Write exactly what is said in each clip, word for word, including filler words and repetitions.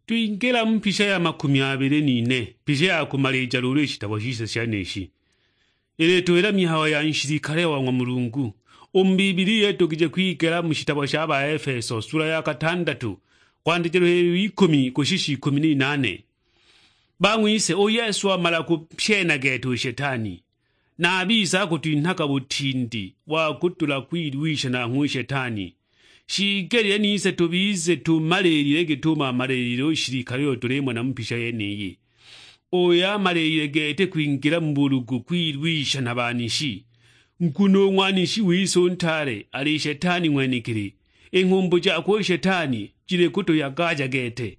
Twingila mu mpisha ya makumi abili n'ine, mpisha ya kumalija luulu i shitabo shise sheneishi. Ilituwila mihayo ya nshilikale wa ng'wa Mulungu. U mu Bibilia itogije kwigela mu shitabo sha Baefeso, sula ya katandatu, kwandikilwa ikumi kushisha ikumi n'inane. Bang'wise, u Yesu wamala kupyena gete u Shetani, na a bise akutwinhaga butindi wa kudula kwilwisha nanghwe u Shetani. Shiigelile nise tubize tumaliilile git'umo amaliilile u shilikale uyo tulimona mu mpisha yeniyi, uyo amaliilile gete kwingila mu bulugu kwilwisha na banishi. Nguno u ng'wanishi wise u ntaale ali Shetani ng'wenekili, i nghumbu jakwe u Shetani jili kutuyagaja gete.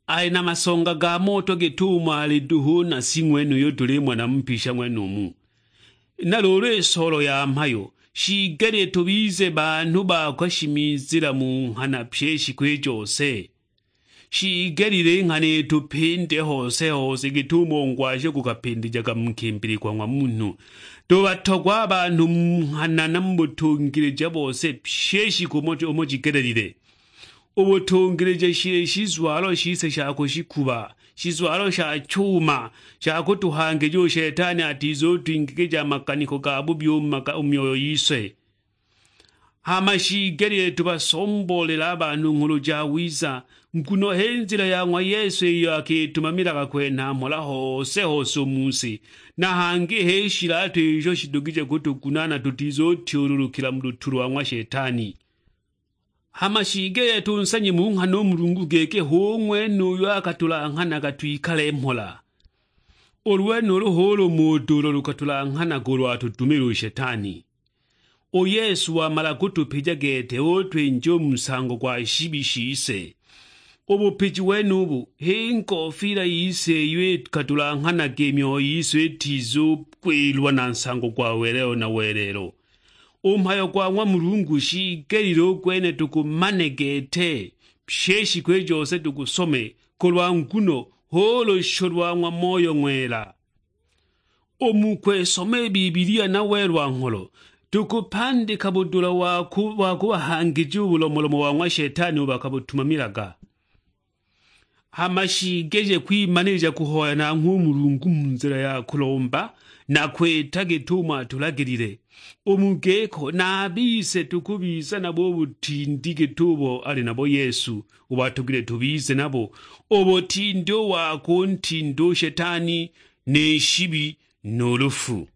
Ali na masonga ga moto git'umo ali duhu na si ng'wenuyo tulimona mu mpisha ng'wenumu. Na luulu i soolo ya mhayo, shiigelile tubize banhu bakwe shimizila mu nghana pyi i shiku i jose. Shiigelile i nghana itupinde hose hose git'umo ngwasho gukapindijaga mu nkimbili kwa ng'wa munhu. Tubatogwa a banhu mu nghana na mu butungilija bose pyi i shiku umo umo jigelelile. U butungilija shili shizwalo shise sha kushikuba, shizwalo sha chuma, sha kutuhangija u Shetani atizutwingigija a maganiko ga bubi u mu maka- u myoyo yise. Hama shiigelile tubasomboolele a banhu Nghulu Jawiza, nguno h'i nzila ya ng'wa Yesu iyo akitumamilaga kwenha mhola hose hose u mu si, na hangi h'i shilatu isho shidugije kutugunaana tutizutyululukila mu lutu lwa ng'wa Shetani. Hama shiigelile tunsanye mu nghana u Mulungu giki hu ng'wene uyo akatulanghanaga twikale mhola. Ulu lwenulu hu lumo uduulo lukatulanghanaga ulu atudumile u Shetani. U Yesu wamala kutupija gete utwinja u mu nsango gwa shibi shise. U bupiji wenubu h'i ngofila yise iyo ikatulanghanaga i myoyo yise itizukwilwa na nsango gwa welelo na welelo. U mhayo gwa ng'wa Mulungu shiigelile u gwene tugumane gete, pyi i shiku i jose tugusome, kulwa nguno hu lusho lwa ng'wa Moyo Ng'wela. U mu kwisoma i Bibilia na welwa ngholo, tukupandika budula wa ku- wa kubahangija u bulomolomo wa ng'wa Shetani ubo akabutumamilaga. Hama shiigelile kwimanilija kuhoya nanghwe u Mulungu mu nzila ya kulomba na kwita git'umo atulagilile. U mu giko, na a bise tukubiza nabo u butindi git'ubo ali nabo Yesu, ubo atogilwe tubize nabo, u butindi u wa kuntinda u Shetani, ni shibi, nu lufu.